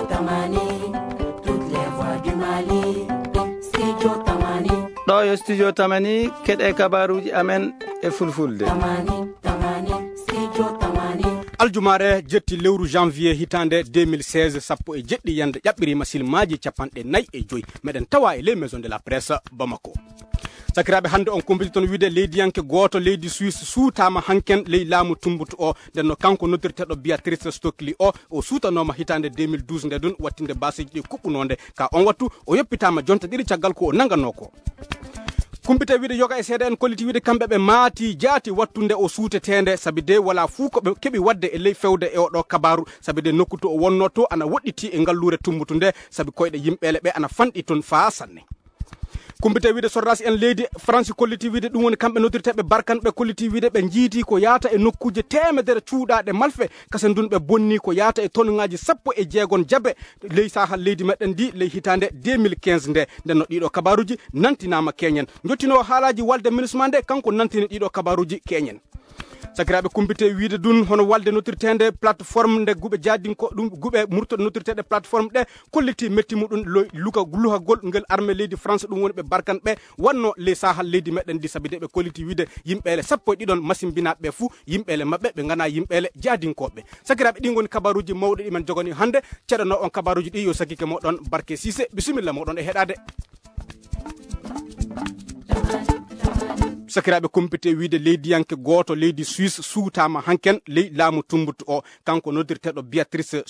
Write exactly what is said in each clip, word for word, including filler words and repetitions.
Tamani, toutes les voix du Mali. Studio Tamani. Ɗo yo Studio Tamani, keɗe kabaruji amen e fulfulde. Tamani, Tamani, Studio Tamani. Aljumaare jetti lewru janvier hitande deux mille seize, sappo e jeɗɗi yande ƴaɓɓirima silmaji capanɗe nayi e joyi. Meɗen tawa e les maisons de la presse Bamako. Sakiraaɓe, hannde on kumpiti toon wiide leydiyanke gooto leydi Suisse suutaama hanken ley laamu tumbutu o. Nden no kanko noddirteeɗo Beatrice Stockley o, o suutanoma hitaande deux mille douze nde ɗun, wattinde baasiiji ɗi kuɓɓunoo nde. Ka on wattu, o yoppitaama jonte ɗiɗi caggal ko o nanganoo ko. Kumpite wiide yoga e seeɗa en kolliti wiide kamɓe ɓe maati jaati wattunde o suuteteende, sabi de wala fuu ko ɓe keɓi waɗde e ley fewde e oɗo kabaaru, sabi de nokku to o wonnoo to ana woɗɗiti e ngalluure tumbutu nde, sabi koyɗe yimɓeele ɓe ana fanɗi toon faa sanne. Kumpite wiide sordaasi en leydi Faransi kolliti wiide ɗum woni kamɓe noddirteeɓe barkan ɓe kolliti wiide ɓe njiiti ko yaata e nokkuuje teemedere cuuɗaaɗe malfe, kasen ndun ɓe bonni ko yaata e tonŋaaji sappo e jeegon jabe ley sahal leydi meɗen ndi ley hitaande deux mille quinze nde. Nden no ɗiɗo kabaaruji nantinaama keñen. Njottinoowo haalaaji walde minusma nde, kanko nantini ɗiɗo kabaaruji keñen. Sakiraaɓe, kumpite wiide ɗun hono walde noddirteende plateforme nde guɓe jaadinko ɗum guɓe murtoɗe noddirteeɗe plateforme ɗe kolliti metti muɗum lo-, luka-, luhagol ngel arme leydi France, ɗum woni ɓe barkan ɓe wanno ley sahal leydi meɗen ndi, sabi de ɓe kolliti wiide yimɓeele sappo e ɗiɗon masimbinaaɓe ɓe fuu, yimɓeele maɓɓe ɓe ngana yimɓeele jaadinkooɓe. Sakiraaɓe, ɗin ngoni kabaruuji mawɗi ɗi men jogani hannde. Ceɗano on kabaruuji ɗi yo sakike moɗon Barke Sise, bisimilla moɗon e heɗaade. Sakiraaɓe, kumpite wiide leydiyanke gooto leydi Suisse suutaama hanken ley laamu tumbutu o. Kanko noddirteeɗo Beatrice,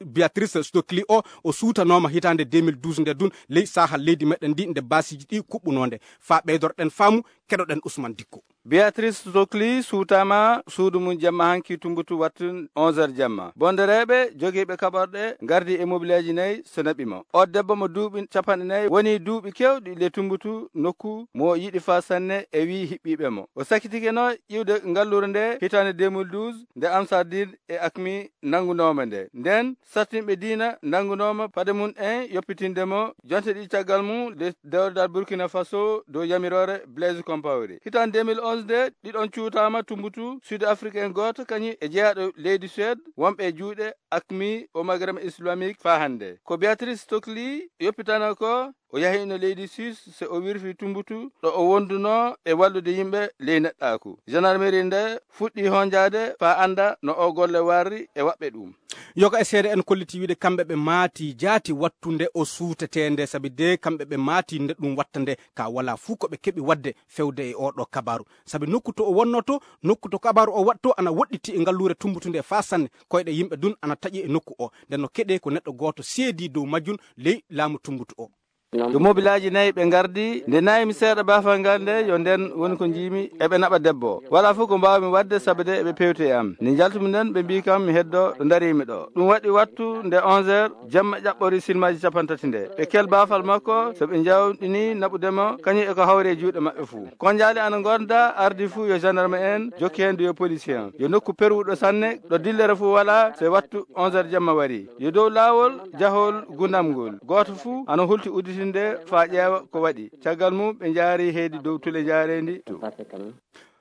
Beatrice Stockley o, o suutanooma hitaande deux mille douze nde ɗun ley sahal leydi meɗen ndi nde baasiiji ɗi kuɓɓunoo nde. Faa ɓeydorɗen faamu, keɗoɗen Ousmane Dikko. Beatrice Stockley suutaama suudu mum jamma hanki tumbutu wattu onze heures jamma. Bondereeɓe jogiiɓe kaɓorɗe ngardi e mobileeji nayi so naɓi mo. O debbo mo duuɓi capanɗe nayi woni duuɓi keewɗi le tumbutu nokku mo yiɗi faa sanne e wii hiɓɓiiɓe mo. O sakitikeno iwde ngalluure nde hitaande deux mille douze nde Ansardine e Acmi nanngunooma nde. Nden sattinɓe diina nanngunooma paɗe mum en yoppitinde mo. Jonte ɗiɗi caggal mum, le dewle dal Burkina Faso dow yamiroore Blaise Compaoré. Hitaande deux mille onze nde, ɗiɗon cuutaama tumbutu sud africain gooto kañum e jeyaaɗo leydi Suède wonɓe e juuɗe Acmi o Maghreb Islamique faa hannde. Ko Beatrice Stockley yoppitano ko, o yahino leydi Suisse so o wirfi tumbutu ɗo o wonduno e wallude yimɓe ley neɗɗaaku. Gendarmerie nde fuɗɗi honjaade faa annda no o golle warri e waɓɓe ɗum. Yoga e seede en kolliti wiide kamɓe ɓe maati jaati wattunde o suutetee nde, sabi de kamɓe ɓe maati nde ɗum watta nde, ka wala fuu ko ɓe keɓi waɗde fewde e oɗo kabaru. Sabi nokku to o wonnoto, nokku to kabaru o waɗto ana woɗɗiti e ngalluure tumbutunde faa sanne, koyɗe yimɓe dun ana taƴi e nokku o. Nden no keɗe ko neɗɗo gooto seedi dow majjun ley laamu tumbutu o. Yo mobilaaji nayi ɓe ngardi, nde nayi mi seeɗa baafal ngal nde, yo nden woni ko njiimi eɓe naɓa debbo. Wala fof ko mbaawmi waɗde, sabu de eɓe pewti e am. Nde njaltumi nden, ɓe mbii kam mi heddo ɗo ndariimi ɗo. Ɗum waɗi wattu nde onze heures, jamma ƴaɓɓori silmaaji capantati nde. Ɓe kel baafal makko, so ɓe njawɗini naɓude mo, kañum e ko hawri e juuɗe maɓɓe fuu. Konjaali ana ngonda, ardi fuu yo gendarme en, jokki heen yo policier en. Yo nokku perwuɗo sanne, ɗo dillere fuu wala, so wattu onze heures jamma wari. Yo dow laawol, jahol gundam ngol. Gooto fuu ana hulti udditinde faa ƴeewa ko waɗi. Caggal mum, ɓe njaari heydi dow tule njaareendi to.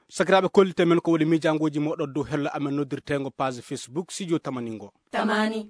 Sakiraaɓe, kollite men ko woni miijaangooji mooɗon dow hello amen noddirteengo page Facebook Studio Tamaningo. Tamani.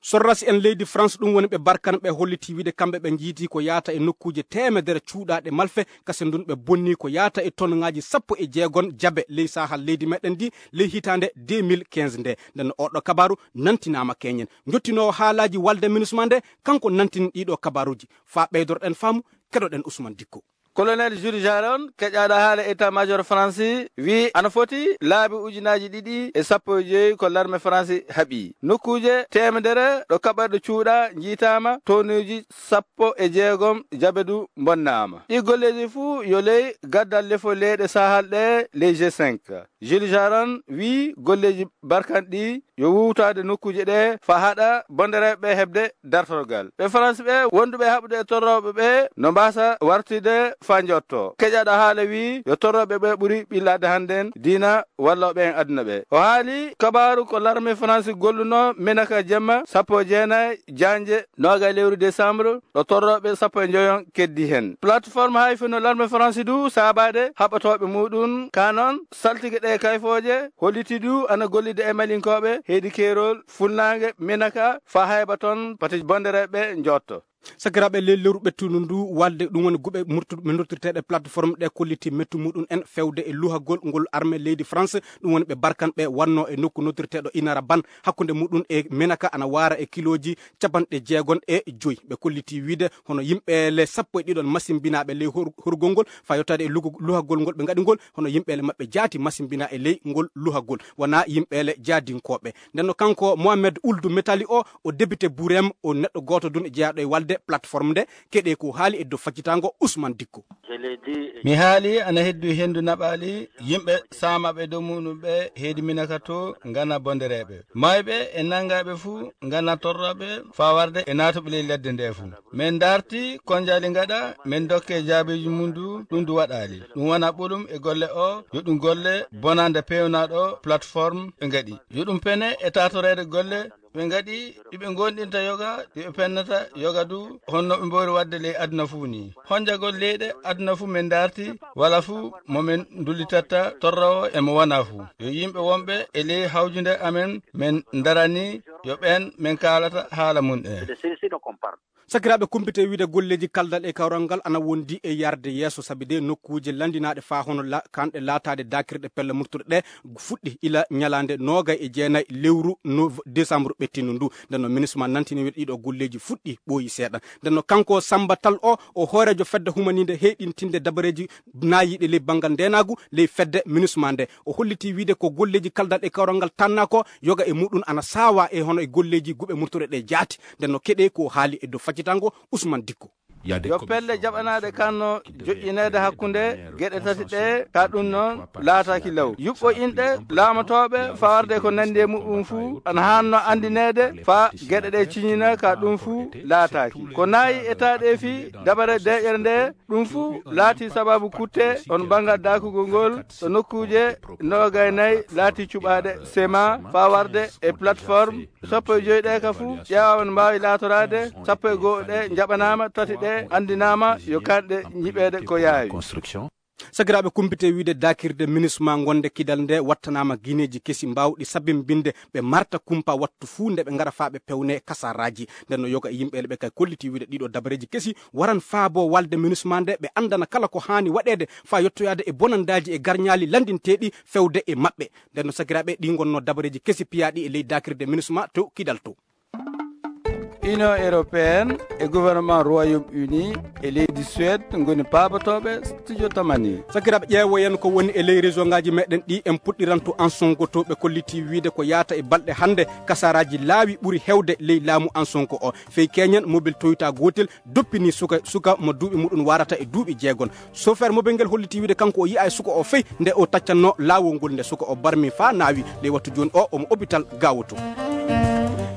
Sorrasi en leydi France, ɗum woni ɓe barkan ɓe holliti wiide kamɓe ɓe njiiti ko yaata e nokkuuje teemedere cuuɗaaɗe malfe, kasen ndun ɓe bonni ko yaata e tonŋaaji sappo e jeegon jabe ley sahal leydi meɗen ndi ley hitaande deux mille quinze nde. Nden oɗo kabaru nantinaama keñen. Njottinoowo haalaaji walde minusma nde, kanko nantini ɗiɗo kabaruuji. Faa ɓeydorɗen faamu, keɗoɗen Ousmane Dikko. Colonel Jules Jaron, keƴaaɗo haala état-major France, wii ana foti laabi ujunaaji ɗiɗi e sappo e joyi ko larme France haɓi. Nokkuuje teemedere ɗo kaɓorɗe cuuɗa njiitaama, tonuuji sappo e jeegom jabe du mbonnaama. Ɗi golleeji fuu yo ley gaddal lefo leyɗe Sahal ɗe, ley G cinq. Jules Jaron wii golleeji barkan ɗi yo wuwtaade nokkuuje ɗe faa haɗa bondereeɓe ɓe heɓde dartorgal. Ɓe France ɓe wonduɓe haɓude e torrooɓe ɓe no mbaasa wartude faa njotto. Keƴaɗo haala wiyi yo torrooɓe ɓe ɓuri ɓillaade hannden diina wallooɓe en aduna ɓe. O haali kabaaru ko larme France golluno Menaka jemma sappo e jeenayi jaanje noogay lewru décembre, ɗo torrooɓe sappo e njoyon keddi heen. Plateforme hay fino larme France du saabaade haɓatooɓe muɗum, ka noon saltige ɗe kayfooje holliti du ana gollida e malinkooɓe heydi keerol funnaange Menaka faa hayba toon pati bondereeɓe njotto. Sakiraaɓe, ley lewru ɓettundu ndu, walde ɗum woni guɓe murtu-, noddirteeɗe plateforme ɗe kolliti mettu muɗum en fewde e luhagol ngol arme leydi France, ɗum woni ɓe barkan ɓe wannoo e nokku noddirteeɗo Inara Ban, hakkunde muɗum e Menaka ana waara e kilooji capanɗe jeegon e joy. Ɓe kolliti wiide hono yimɓeele sappo e ɗiɗon masimbinaaɓe ley hor-, horgol ngol, faa yottaade e lugu-, luhagol ngol ɓe ngaɗi ngol, hono yimɓeele maɓɓe jaati masimbinaa e ley ngol luhagol, wonaa yimɓeele jaadinkooɓe. Nden no kanko Mohamed Ould Metali o, o député Bourem, o neɗɗo gooto dun e jeyaaɗo e walde plateforme nde, keɗe ko haali e dow faccitaango Ousmane Dikko. Mi haali ana heddu hendu naɓaali, yimɓe saamaɓe dow muɗum ɓe heydi Minaka to ngana bondereeɓe. Maayɓe e nangaaɓe fuu ngana torraɓe faa warde e naatuɓe ley ledde nde fuu. Min darti konjaali ngaɗa, min dokke jaabeeji mum du, ɗum du waɗaali. Ɗum wona ɓolum e golle o, yo ɗum golle bonande peewnaaɗo plateforme ɓe ngaɗi. Yo ɗum pene e taatoreede golle ɓe ngaɗi, ɗi ɓe ngoonɗinta yoga, ɗi ɓe pennata yoga du, honno ɓe mboori waɗde ley aduna fuu ni. Honjagol leyɗe aduna fuu min darti, wala fuu mo min dullitatta torrawo e mo wona fuu. Yo yimɓe wonɓe e ley hawjunde amen min darani, yo ɓeen min kaalata haala mum en. Sakiraaɓe, kumpite wiide golleeji kaldal e kawral ngal ana wondi e yarde yeeso, sabi de nokkuuje lanndinaaɗe faa hono la-, kanɗe laataade daakirɗe pelle murtuɗe ɗe fuɗɗi ila ñalaande noogay e jeenay lewru nov-, décembre ɓettindu ndu. Nden no ministre ma nantini wiide ɗiɗo golleeji fuɗɗi ɓooyi seeɗa. Nden no kanko Samba Tall o, o hooreejo fedde humaniinde heyɗintinde dabareeji naayiiɗe ley banngal ndeenaagu ley fedde minusma nde. O holliti wiide ko golleeji kaldal e kawral ngal tannaa ko yoga e muɗum ana saawaa e hono e golleeji guɓe murtuɗe ɗe jaati. Nden no keɗe ko haali e dow faccitango Ousmane Dikko. Yo pelle jaɓanaaɗe kanno joƴƴineede hakkunde geɗe tati ɗe, ka ɗum noon laataaki law. Yuɓɓo inɗe laamotooɓe fawarde ko nanndi e muɗum fuu ana haanno anndineede faa geɗe ɗe ciñina, ka ɗum fuu laataaki. Ko naayi e taaɗeefi dabare deeƴere nde, ɗum fuu laati sababu kutte on banngal daakugol ngol ɗo nokkuuje noogay nayi laati cuɓaaɗe sema faa warde e plateforme sappo e joy ɗe ka fuu ƴeewaama no mbaawi laatoraade, sappo e goo ɗe njaɓanaama, tati ɗe anndinaama yo kanɗe nyiɓeede ko yaawi. Sakiraaɓe, kumpite wiide daakirde minusma gonde kidal nde wattanaama gineeji kesi mbaawɗi sabimbinde ɓe marta kumpa wattu fuu nde ɓe ngara faa ɓe pewne kasaraaji. Nden no yoga e yimɓe ɓe kay kolliti wiide ɗiɗo dabareeji kesi waran faabo walde minusma nde, ɓe anndana kala ko haani waɗeede faa yottoyaade e bonandaaji e garñaali lanndinteeɗi fewde e maɓɓe. Nden no sakiraaɓe, ɗi ngonno dabareeji kesi piyaaɗi e ley daakirde minusma to kidal to. Union européenne e gouvernement Royaume-Uni e leydi Suède ngoni paabotooɓe studio Tamani. Sakiraaɓe, ƴeewoyen ko woni e ley région ngaaji meɗen ɗi. En puɗɗiranto Ansongo to ɓe kolliti wiide ko yaata e balɗe hannde kasaraaji laawi ɓuri hewde ley laamu Ansongo o. Fey keñen mobil Toyota gootel doppini suka, suka mo duuɓi muɗum warata e duuɓi jeegon. Chauffeur mobel ngel holliti wiide kanko o yi'a e suka o fey nde o taccanno laawol ngol, nde suka o barmi faa naawi ley wattu jooni o omo hôpital Gawo to.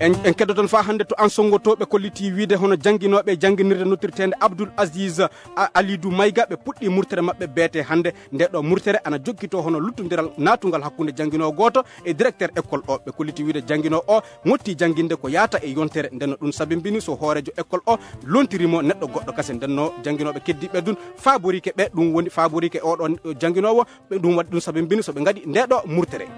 En, en keddoton faa hannde to Ansongo to ɓe kolliti wiide hono jannginooɓe jannginirde nottirteende Abdoul Aziz A-, Alidou Maïga ɓe puɗɗi murtere maɓɓe beete hannde. Nde ɗo murtere ana jokkito hono luttondiral naatungal hakkunde jannginoowo gooto e directeur école o. Ɓe kolliti wiide jannginoowo o motti jannginde ko yaata e yontere. Nden no ɗum sabimbini so hooreejo école o lontiri mo neɗɗo goɗɗo kasen. Nden no jannginooɓe keddiiɓe dun faaborike ɓe, ɗum woni faaborike oɗo jannginoowo, ɓe ɗum waɗi ɗum sabimbini so ɓe ngaɗi nde ɗo murtere.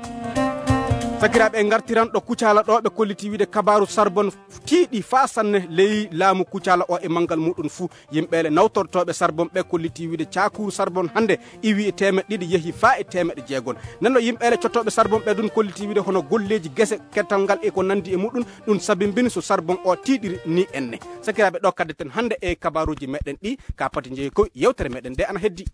Sakiraaɓe, en ngartiran ɗo Kucala ɗo ɓe kolliti wiide kabaaru Sarbon tiiɗi faa sanne ley laamu Kucala o e manngal muɗum fuu. Yimɓeele nawtortooɓe sarbon ɓe kolliti wiide caakuuru sarbon hannde iwi e teemeɗɗe ɗiɗi yehi faa e teemeɗɗe jeegon. Nden no yimɓeele cottooɓe sarbon ɓe dun kolliti wiide hono golleeji gese, kettal ngal e ko nanndi e muɗum, ɗum sabimbini so sarbon o tiiɗiri ni enne. Sakiraaɓe, ɗo kaddeten hannde e kabaaruuji meɗen ɗi, ka pati jeyi ko yewtere meɗen nde ana heddi.